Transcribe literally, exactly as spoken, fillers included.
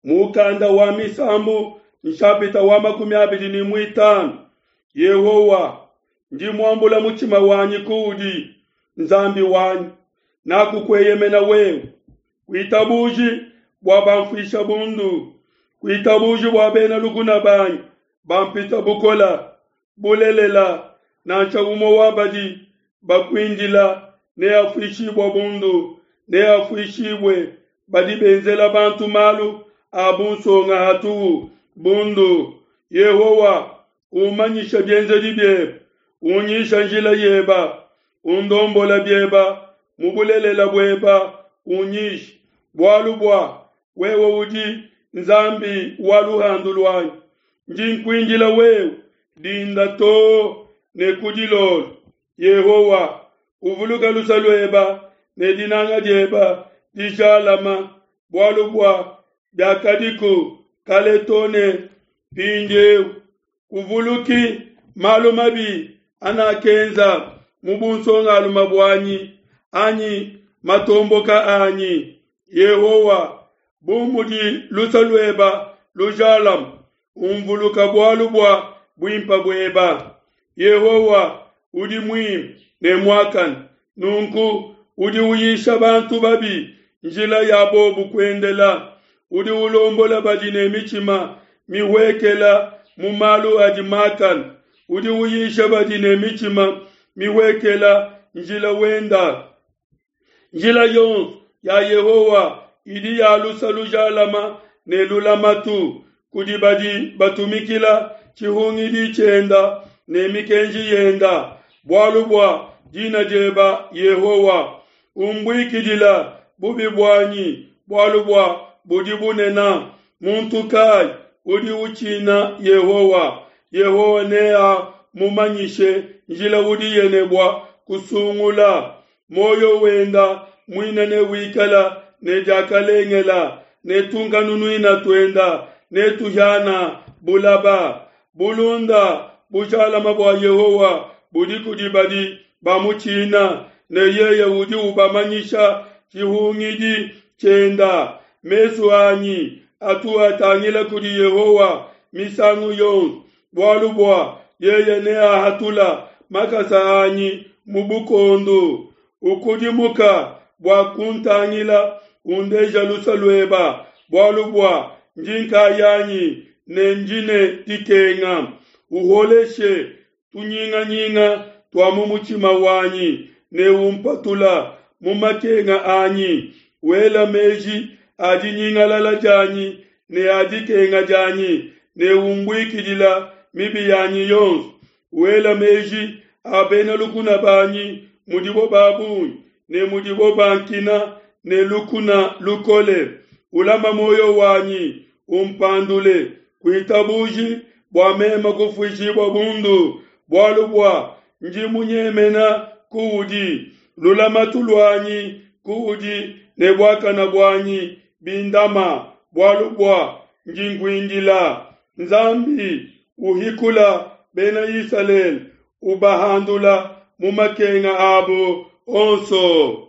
Mukanda wa Misambu nshapita wa makumi abidi ne muitanu. Yehowa, ndi muambula mutshima wanyi kuudi, Nzambi wanyi, nakukueyemena wewe. Kuitabuji bua bamfuisha bundu, kuitabuji bua bena lukuna banyi bampita bukola. Bulelela, nansha umue wa badi bakuindila neafuishibue bundu, neafuishibue badi benzela bantu malu a bunsonga hatuhu bundu. Yehowa, umanyisha bienzedi biebe, unyisha njila yeba, undombola bieba mu bulelela bueba unyishe, bualu bua wewe udi Nzambi wa luhandu luanyi. Ndi nkuindila wewe dinda too ne ku dilolo. Yehowa, uvuluka luse lueba ne dinanga dieba dijalama, bualu bua biakadiku kale too ne mpindieu. Kuvuluki malu mabi anakenza mu bunsongalume buanyi anyi matomboka anyi. Yehowa, bu mudi luse lueba lujalama, umvuluka bualu bua buimpe bueba. Yehowa udi muimpe ne muakane, nunku udi uyisha bantu babi njila ya bobu kuendela. Udi ulombola badi ne mitshima mihuekela mu malu adi makane. Udi uyisha badi ne mitshima mihuekela njila wenda. Njila yonso ya Yehowa idi ya luse lujalama ne lulamatu kudi badi batumikila tshihungidi tshienda ne mikenji yenda. Bualu bua dina dieba Yehowa, umbuikidila bubi buanyi, bualu bua budi bunena. Muntu kai udi utshina Yehowa? Yehowa neamumanyishe njila udiye ne bua kusungula. Muoyo wenda muine newikala ne diakalengela, ne tunkanunuina tuenda netuhiana bulaba. Bulunda bujalama bua Yehowa budi kudi badi bamutshina, ne yeye udi ubamanyisha tshihungidi tshienda. Mesu anyi atu atangila kudi Yehowa misangu yonso, bualu bua yeye neahatula makasa anyi mu bukondu. Ukudimuka bua kuntangila, undeja luse lueba, bualu bua ndi nkayanyi ne ndi ne dikenga. Uholeshe tunyinganyinga tua mu mutshima wanyi ne umpatula mu makenga anyi. Wela meji a dinyingalala dianyi ne a dikenga dianyi, ne umbuikidila mibi yanyi yonso. Wela meji a bena lukuna banyi mudibo ba bungi ne mudibo bankina ne lukuna lukole. Ulama muoyo wanyi, umpandule. Kuitabuji bua meme kufuishibua bundu, bualu bua ndi munyemena kuudi. Lulamatu luanyi kuudi ne buakana buanyi bindama, bualu bua ndi nkuindila. Nzambi uhikula bena Isalele, ubahandula mu makenga abo onso.